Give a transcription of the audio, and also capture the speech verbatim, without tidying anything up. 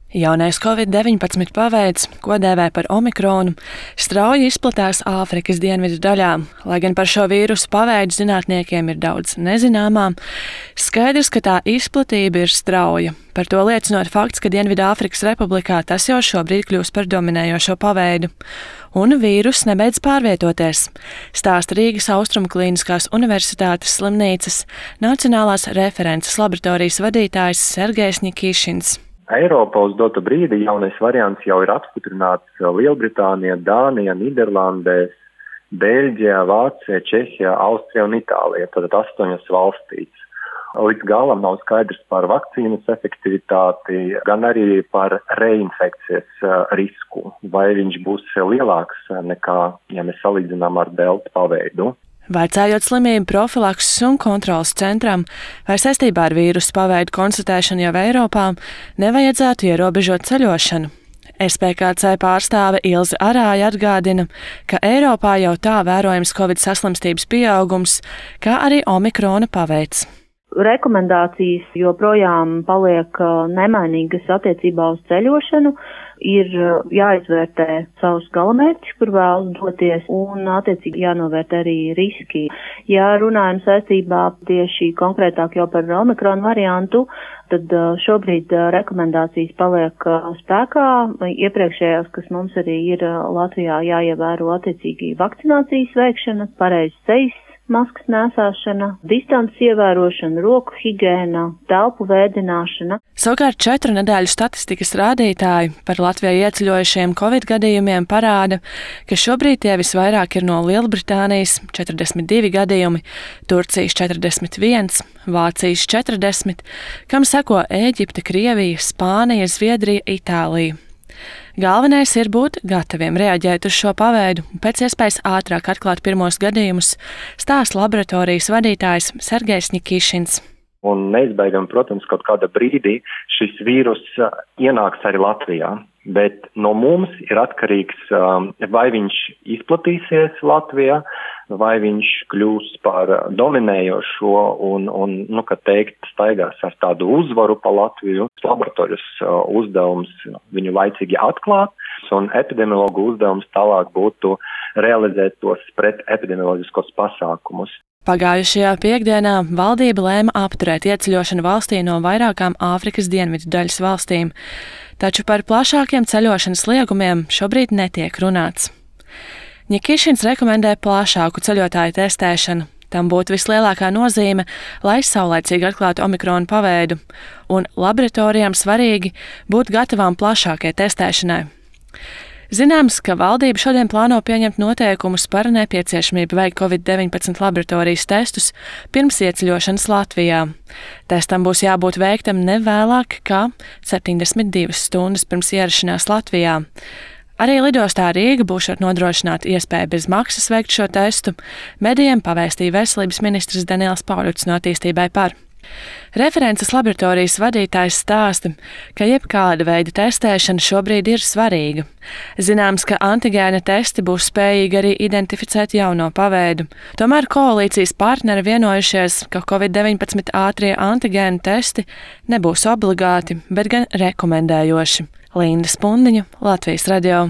Jaunais covid deviņpadsmit paveids, ko dēvē par omikronu, strauji izplatās Āfrikas dienvidu daļā. Lai gan par šo vīrusu paveidu zinātniekiem ir daudz nezināmā, skaidrs, ka tā izplatība ir strauja. Par to liecinot fakts, ka Dienvidāfrikas Republikā tas jau šobrīd kļūst par dominējošo paveidu. Un vīrus nebeidz pārvietoties, stāsta Rīgas Austrumu Klīniskās Universitātes slimnīcas Nacionālās references laboratorijas vadītājs Sergejs Ņikīšins. Eiropā uz dotu brīdi jaunais variants jau ir apstiprināts Lielbritānijā, Dānijā, Nīderlandē, Beļģijā, Vācijā, Čehijā, Austrijā un Itālijā, tātad astoņas valstīs. Līdz galam nav skaidrs par vakcīnas efektivitāti, gan arī par reinfekcijas risku, vai viņš būs lielāks nekā, ja mēs salīdzinām ar delta paveidu. Vaicājot slimību profilakses un kontrolas centram, vai saistībā ar vīrusu paveidu konstatēšanu jau Eiropā nevajadzētu ierobežot ceļošanu. S P K C pārstāve Ilze Arāja atgādina, ka Eiropā jau tā vērojams covid saslimstības pieaugums, kā arī omikrona paveids. Rekomendācijas joprojām paliek nemainīgas attiecībā uz ceļošanu. Ir jāizvērtē savus galamērķus, kur vēlas doties, un attiecīgi jānovērtē arī riski. Ja runājam saistībā tieši konkrētāk jau par omikronu variantu, tad šobrīd rekomendācijas paliek spēkā. Iepriekšējās, kas mums arī ir Latvijā, jāievēro attiecīgi vakcinācijas veikšana, pareizs sejas maskas nēsāšana, distances ievērošana, roku higēna, telpu vēdināšana. Savukārt četru nedēļu statistikas rādītāji par Latvijā ieceļojušiem covid gadījumiem parāda, ka šobrīd tie visvairāk ir no Lielbritānijas četrdesmit divi gadījumi, Turcijas četrdesmit viens, Vācijas četrdesmit, kam seko Ēģipte, Krievija, Spānija, Zviedrija, Itālija. Galvenais ir būt gataviem reaģēt uz šo paveidu un pēc iespējas ātrāk atklāt pirmos gadījumus, stāsta laboratorijas vadītājs Sergejs Ņikīšins. Un neizbēgami, protams, kaut kādā brīdī šis vīrus ienāks arī Latvijā, bet no mums ir atkarīgs, vai viņš izplatīsies Latvijā, vai viņš kļūs par dominējošo un, un nu, kā teikt, staigās ar tādu uzvaru pa Latviju. Laboratorijas uzdevums viņu laicīgi atklāt, un epidemiologu uzdevums tālāk būtu realizēt tos pret epidemioloģiskos pasākumus. Pagājušajā piekdienā valdība lēma apturēt ieceļošanu valstī no vairākām Āfrikas dienvidu daļas valstīm, taču par plašākiem ceļošanas liegumiem šobrīd netiek runāts. Ņikīšins rekomendē plašāku ceļotāju testēšanu. Tam būtu vislielākā nozīme, lai saulēcīgi atklātu omikronu paveidu, un laboratorijām svarīgi būt gatavām plašākai testēšanai. Zināms, ka valdība šodien plāno pieņemt noteikumus par nepieciešamību veikt covid deviņpadsmit laboratorijas testus pirms ieceļošanas Latvijā. Testam būs jābūt veiktam ne vēlāk kā septiņdesmit divas stundas pirms ierašanās Latvijā. Arī lidostā Rīga būšot nodrošināta iespēja bez maksas veikt šo testu, medijiem pavēstīja veselības ministrs Daniels Pauļuts no Attīstībai par. References laboratorijas vadītājs stāsta, ka jebkāda veida testēšana šobrīd ir svarīga. Zināms, ka antigēna testi būs spējīgi arī identificēt jauno paveidu. Tomēr koalīcijas partneri vienojušies, ka covid deviņpadsmit ātrie antigēnu testi nebūs obligāti, bet gan rekomendējoši. Linda Spundiņa, Latvijas radio.